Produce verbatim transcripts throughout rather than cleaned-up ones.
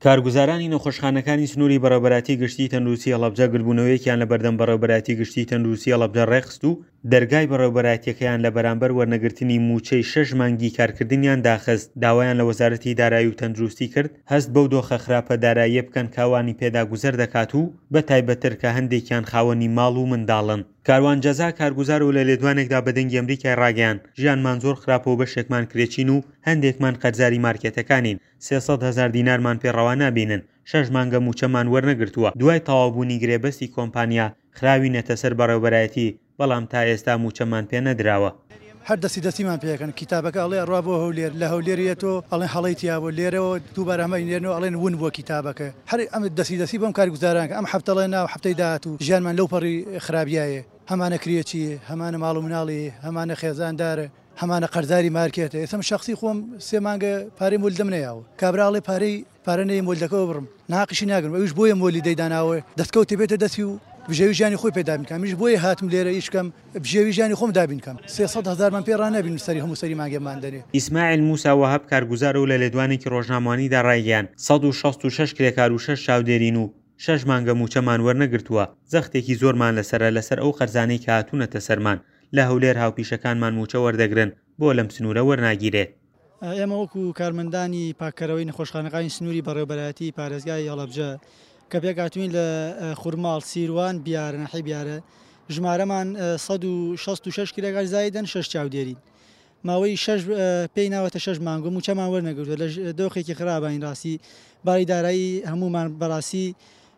کارگوزارانی نەخۆشخانەکانی سنووری بەڕێوەبەرایەتی گشتیی تەندروستی هەڵەبجە گردبوونەوەیەکیان لە بەردەم بەڕێوەبەرایەتی گشتیی تەندروستی هەڵەبجە ڕێکخست و دەرگای بەڕێوەبەرایەتیەکەیان لە بەرامبەر وەرنەگرتنی مووچەی شەش مانگی کارکردنیان داخست. داوایان لە وەزارەتی دارایی و تەندروستی کرد هەست بەو دۆخە خراپە داراییە بکەن کە ئەوانی پێدا گوزەر دەکات و بە تایبەتتر کە هەندێکیان خاوەنی ماڵ و منداڵن. کاروان جەزا کارگوزار و لە لێدوانێکدا بە دەنگی ئەمریکای ڕاگەیاند، ژیانمان زۆر خراپە و بەشێکمان کرێچین و هەندێکمان قەرزاری مارکێتەکانین، سێ سەد هەزار دینارمان پێ ڕەوا نابینن، شەش مانگە مووچەمان وەرنەگرتووە، دوای تەواوبوونی گرێبەستی کۆمپانیا خراوینەتە سەر بەڕێوەبەرایەتی، بەڵام تا ئێستا مووچەمان پێ نەدراوە. هەر دەستی دەستیمان پێکەن کتابەکە ئەڵێ ئەڕوا بۆ هەولێر، لە هەولێر یەتۆ ئەڵێن هەڵەی تیا بوو، لێرەوە دووبارە هەمە ئینێرنەوە ئەڵێن ون بووە کتابەکە. هەر ئەم دەستی دەستی بەم کارگوزاران ئەم هەفتەڵێ ناو هەفتەی داهاتوو ژیانمان لەو پەڕی خراپیایە، هەمانە کرێچی، هەمانە ماڵ و مناڵی، هەمانە خێزاندارە، هەمانە قەرزاری مارکێتە. ئێستا من شخصی خۆم سێ مانگە پارەی مۆلیدەم نەیاوە، کابرا ئەڵێ پارەی پارە نەیە مۆلیدەکەوە بڕم، ناقیشی ناگرم، ئەویش بۆیە مۆلیدەی داناوە دەستکەوتی بێتە دەستی و بژێوی ژیانی خۆی پێ دابین کەم. منیش بۆیە هاتم لێرە ئیش بکەم، بژێوی ژیانی خۆم دابین کەم. سێ سەد هەزارمان پێ ڕانابین سەری هەموو سەری مانگێمان دەنێ. ئیسماعیل موسا وەهاب کارگوزار و لە لێدوانێکی ڕۆژنامەوانیدا ڕایگەیاند سەد و شەست و شەش کرێکار و شەش چاودێرین و شەش مانگە مووچەمان وەرنەگرتووە، زەختێکی زۆرمان لەسەرە لەسەر ئەو قەرزانەی کە هاتوونەتە سەرمان. لە هەولێر هاوپیشەکانمان مووچە وەردەگرن، بۆ لەم سنوورە وەرناگیرێت. ئێمە وەکو کارمەندانی پاککەرەوەی نەخۆشخانەکانی سنووری بەڕێوەبەرایەتی پارێزگای هەڵەبجە کە پێکهاتووین لە خورماڵ، سیروان، بیارە، ناحیەی بیارە، ژمارەمان سەد و شەست و شەش کرێکار زایدن، شەش چاودێرین. ماوەی شەش پێی ناوەتە شەش مانگ و مووچەمان وەرنەگرتووە. لە دۆخێکی خراپین ڕاستی، باری دارایی هەمومان بەڕاستی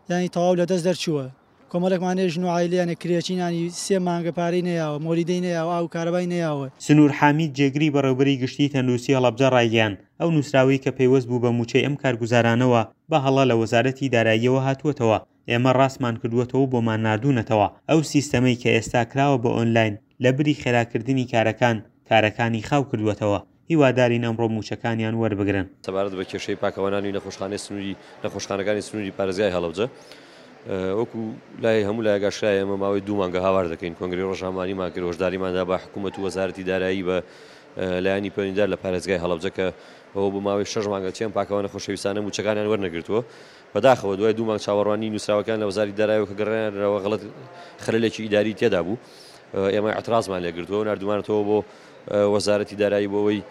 ینی تەواو لەدەست دەرچووە. کۆمەڵێکمانێ ژن و عایلیانە کرێچینانی سێ مانگە پارەی نەیاوە، مۆلیدەی نەیاوە، ئاو کارەبای نەیاوە. سنوور حامید جێگری بەڕێوبەری گشتی تەندروستی هەڵەبجە ڕایگەیاند ئەو نووسراوەی کە پەیوەست بوو بە مووچەی ئەم کارگوزارانەوە بە هەڵە لە وەزارەتی داراییەوە هاتووەتەوە، ئێمە ڕاستمان کردووەتەوە بۆمان ناردوونەتەوە. ئەو سیستەمەی کە ئێستا کراوە بە ئۆنلاین لە بری خێراکردنی کارەکان کارەکانی خاو کردووەتەوە. هیوادارین ئەمڕۆ مووچەکانیان وەربگرن. سەبارەت بە کێشەی پاکەوانانی نەخۆشخانەی سنووری نەخۆشخانەکانی سنووری پارێزگای هەڵەبجە، وەکو لای هەموو لایەک ئاشکرایە ئێمە ماوەی دوو مانگە هاوار دەکەین. کۆنگرەی ڕۆژنامەوانیمان کرد، هۆشداریماندا بە حکوومەت و وەزارەتی دارایی بە لایەنی پەیوەندیدار لە پارێزگای هەڵەبجە کە ئەوە بۆ ماوەی شەش مانگە چێن پاکەوانە خۆشەویستانە مووچەکانیان وەرنەگرتووە. بەداخەوە دوای دوو مانگ چاوەڕوانی نووسراوەکان لە وەزارەتی داراییەوە کە گەڕێنەوە غەڵەت خەلەلێکی ئیداری تێدا بوو، ئێمە اعترازمان لێگرتووە و ناردومانەتەوە بۆ وەزارەتی دارایی بۆ ئەوەی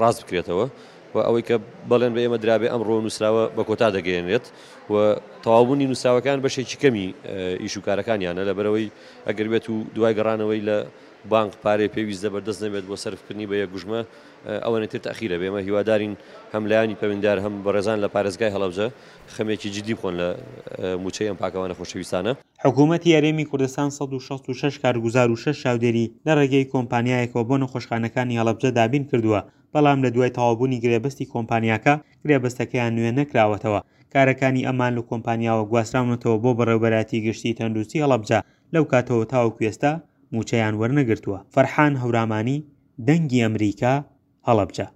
ڕاست بکرێتەوە و ئەوەی کە بەڵێن بە ئێمە درابێ ئەمڕۆ نووسراوە بە کۆتا دەگەیەنرێت و تەواوبوونی نووسراوەکان بەشێکی کەمی ئیش و کارەکانیانە، لەبەرەوەی ئەگەر بێت و دوای گەڕانەوەی لە بانک پارەی پێویست لەبەردەست نەبێت بۆ سەرفکردنی بە یەکگوژمە ئەوەنە تر تەخیرە بێ. ئێمە هیوادارین هەم لایەنی پەیوەندیدار هەم بەڕێزان لە پارێزگای هەڵەبجە خەمێکی جدی بخۆن لە مووچەی ئەم پاکەوانە خۆشەویستانە. حکوومەتی هەرێمی کوردستان سەد و شەست و شەش کارگوزار و شەش چاودێری لە ڕێگەی کۆمپانیایەکەوە بۆ نەخۆشخانەکانی هەڵەبجە دابین کردووە، بەڵام لە دوای تەواوبوونی گرێبەستی کۆمپانیاکە گرێبەستەکەیان نوێ نەکراوەتەوە. کارەکانی ئەمان لە کۆمپانیاوە گواستراونەتەوە بۆ بەڕێوەبەرایەتی گشتی تەندروستی هەڵەبجە، لەو کاتەوە تاوەکو ئێستا مووچەیان وەرنەگرتووە. فەرحان هەورامانی، دەنگی ئەمریکا، هەڵەبجە.